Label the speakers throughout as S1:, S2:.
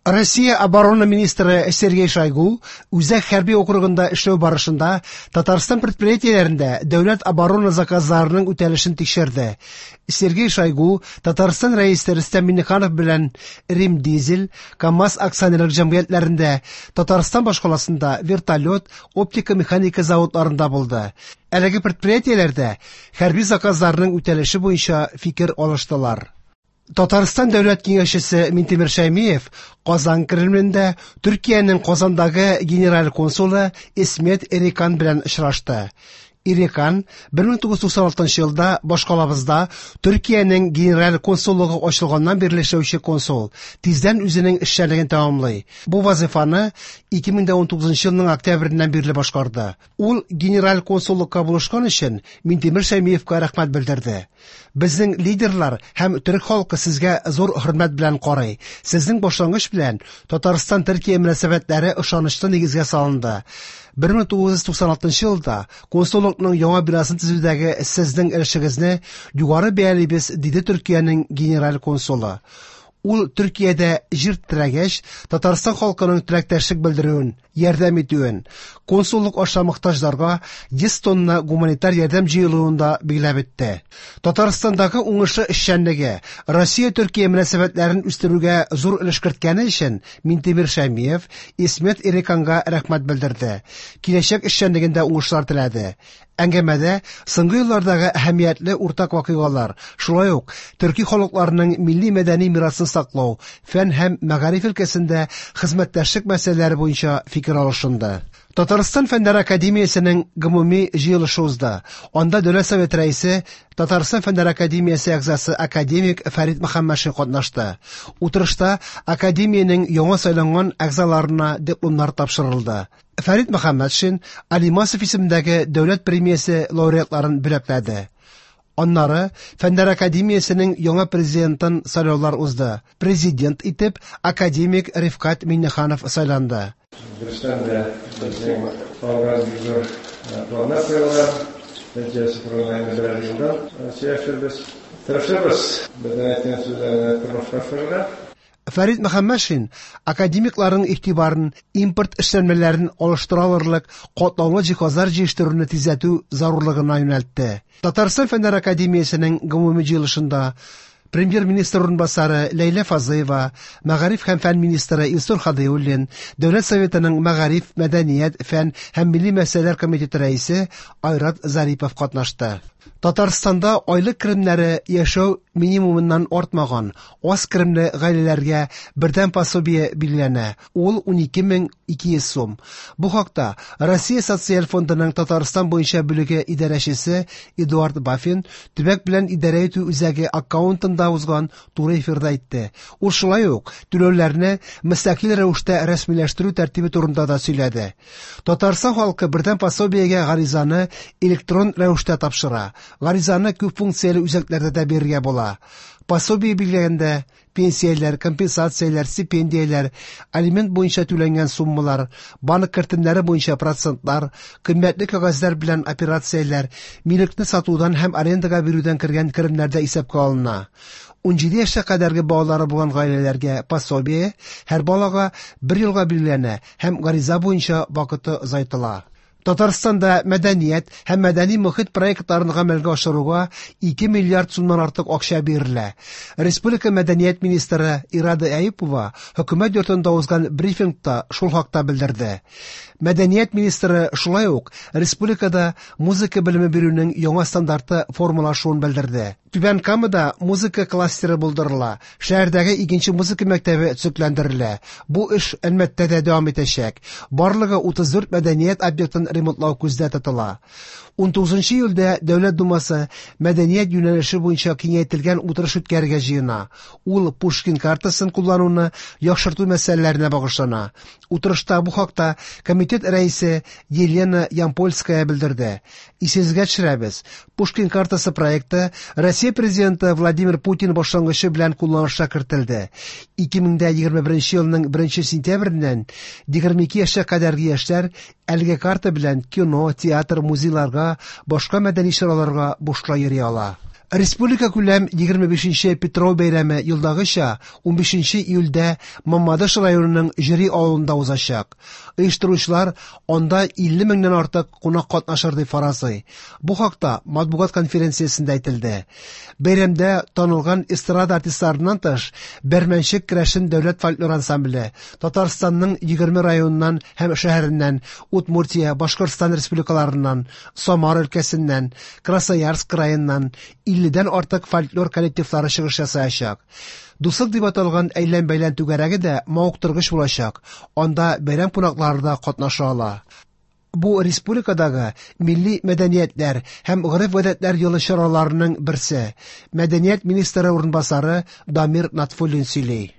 S1: Россия оборона министры Сергей Шойгу Үзәк хәрби округында эшләү барышында Татарстан предприятиеләрендә дәүләт оборона заказларының үтәлешен тикшерде. Сергей Шойгу Татарстан Рәисе Рөстәм Миңнеханов белән Рим Дизель, КАМАЗ акционерлык җәмгыятьләрендә, Татарстан башкаласында вертолет, оптика-механика заводларында булды. Әлеге предприятиеләрдә хәрби заказларның үтәлеше буенча фикер алыштылар. Татарстан Дәүләт Киңәшчесе Минтимер Шәймиев Казан Кремлендә Төркиянең Казандагы генераль консулы Исмет Эрикан белән очрашты. Эрикан 1996 елда башкалабызда Төркиянең генераль консуллыгы ачылганнан бирле эшләүче консул, тиздән үзенең эшчәнлеген тәмамлый. Бу вазыйфаны 2019 елның октябреннән бирле башкарды. Ул генераль консуллыкка булышкан өчен Минтимер Шәймиевка рәхмәт белдерде. Безнең лидерлар һәм төрек халкы сезгә зур хөрмәт белән карый. Сезнең башлангыч белән Татарстан-Төркия мөнәсәбәтләре ышанычлы нигезгә салынды. 1996 елда консуллыкның яңа бинасын төзүдәге сезнең өлешегезне югары бәялибез, диде Төркиянең генераль консулы. Ул Төркиядә җир тетрәгәч, Татарстан халкының теләктәшлек белдерүен, ярдәм итүен, консуллык аша мохтаҗларга 100 тонна гуманитар ярдәм җыелуын да билгеләп үтте. Татарстандагы уңышлы эшчәнлеге, Россия-Төркия мөнәсәбәтләрен үстерүгә зур өлеш керткәне өчен Минтимер Шәймиев Исмет Эриканга рәхмәт белдерде, киләчәк эшчәнлегендә уңышлар теләде. Әңгәмәдә соңгы еллардагы әһәмиятле уртак вакыйгалар, шулай ук төрки халыкларының милли-мәдәни мирасын саклау, фән һәм мәгариф өлкәсендә хезмәттәшлек мәсьәләләре буенча фикер алышынды. Татарстан Фәннәр академиясенең гомуми җыелышы узды. Анда Дәүләт Советы Рәисе, Татарстан Фәннәр академиясе әгъзасы академик Фәрит Мөхәммәтшин катнашты. Утырышта академиянең яңа сайланган әгъзаларына дипломнар тапшырылды. Фәрит Мөхәммәтшин Алимасов исемендәге дәүләт премиясе лауреатларын бүләкләде. Аннары Фәннәр академиясенең яңа президентын сайлаулар узды. Президент итеп академик Рифкать Миңнеханов сайланды.
S2: Дөрестән дә, безнең алга бик зур планнар куелган. Нәтиҗәсе турында инде берәр елдан сөйләшербез. Тырышырбыз безнең әйткән сүзләрне тормышка ашырырга.
S1: Фәрит Мөхәммәтшин академикларның игътибарын импорт эшләнмәләрен алыштыра алырлык катлаулы җиһазлар җитештерүне тизләтү зарурлыгына юнәлтте. Татарстан Фәннәр академиясенең гомуми җыелышында Премьер-министр урынбасары Ләйлә Фазлыева, мәгариф һәм фән министры Илсур Һадиуллин, Дәүләт Советының мәгариф, мәдәният, фән һәм милли мәсьәләләр комитеты рәисе Айрат Зарипов катнашты. Татарстанда айлык керемнәре яшәү минимумыннан артмаган аз керемле гаиләләргә бердәм пособие билгеләнә, ул 12 200 сум. Бу хакта Россия Социаль фондының Татарстан буенча бүлеге идарәчесе Эдуард Бафин төбәк белән идарә итү үзәге аккаунтында узган туры эфирда әйтте. Ул шулай ук түләүләрне мөстәкыйль рәвештә рәсмиләштерү тәртибе турында да сөйләде. Татарстан халкы бердәм пособиегә гаризаны электрон рәвештә тапшыра. Гаризаны күп функцияле үзәкләрдә дә бирергә була. Пособие билгеләгәндә пенсияләр, компенсацияләр, стипендияләр, алимент буенча түләнгән суммалар, банк кертемнәре буенча процентлар, кыйммәтле кәгазьләр белән операцияләр, милекне сатудан һәм арендага бирүдән кергән керемнәр дә исәпкә алына. 17 яшькә кадәрге балалары булган гаиләләргә пособие һәр балага бер елга билгеләнә һәм гариза буенча вакыты озайтыла. Татарстанда мәдәният һәм мәдәни мохит проектларын гамәлгә ашыруга 2 миллиард сумнан артык акча бирелә. Республика мәдәният министры Ирада Әюпова хөкүмәт йортында узган брифингта шул хакта белдерде. Мәдәният министры шулай ук республикада музыка белеме бирүнең яңа стандарты формалашуын белдерде. Түбән Камада музыка кластеры булдырыла, шәһәрдәге икенче музыка мәктәбе төзекләндерелә. Бу эш Әлмәттә дә дәвам итәчәк. Барлыгы 34 мәдәният объектын ремонтлау күздә тотыла. 19 июльдә Дәүләт Думасы мәдәният юнәлеше буенча киңәйтелгән утырыш үткәрергә җыена. Ул Пушкин картасын куллануны яхшырту мәсьәләләренә багышлана. Утырышта бу хакта комитет рәисе Елена Ямпольская белдерде. Исегезгә төшерәбез, Пушкин картасы проекты Россия Президенты Владимир Путин башлангычы белән кулланышка кертелде. 2021 елның 1 сентябреннән 22 яшькә кадәрге яшьләр әлеге карта белән кино, театр, музейларга, башка мәдәни чараларга бушлай йөри ала. Республика күләм 25 нче Питрау бәйрәме елдагыча 15 нче июльдә Мамадыш районының Җөри авылында узачак. Оештыручылар анда 50 меңнән артык кунак катнашыр дип фаразлый. Бу хакта матбугат конференциясендә әйтелде. Бәйрәмдә танылган эстрада артистларыннан тыш, Бәрмәнчек керәшен дәүләт фольклор ансамбле, Татарстанның 20 районыннан һәм шәһәреннән, Удмуртия, Башкортстан республикаларыннан, Самара өлкәсеннән, Красноярск краеннан 50дән артык фольклор коллективлары чыгыш ясаячак. Дуслык дип аталган әйлән-бәйлән түгәрәге дә мавыктыргыч булачак, анда бәйрәм кунаклары да катнаша ала. Бу республикадагы милли мәдәниятләр һәм гореф-гадәтләр елы чараларының берсе. Мәдәният министры урынбасары Дамир Натфуллин сөйли.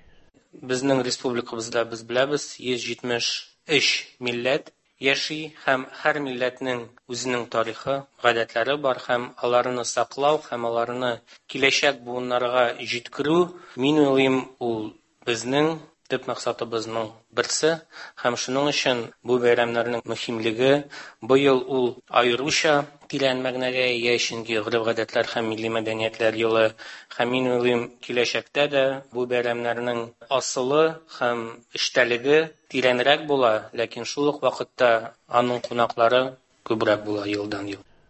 S3: Безнең республикабызда, без беләбез, 173 милләт яши һәм һәр милләтнең үзенең тарихы, гадәтләре бар һәм аларны саклау һәм аларны киләчәк буыннарга җиткерү, мин уйлыйм, ул безнең төп максатыбызның берсе һәм шуның өчен бу бәйрәмнәрнең мөһимлеге быел ул аеруча тирән мәгънәгә ия, чөнки гореф-гадәтләр һәм милли мәдәниятләр елы һәм мин уйлыйм, киләчәктә дә бу бәйрәмнәрнең асылы һәм эчтәлеге тирәнрәк була, ләкин шул ук вакытта аның кунаклары күбрәк була елдан-ел.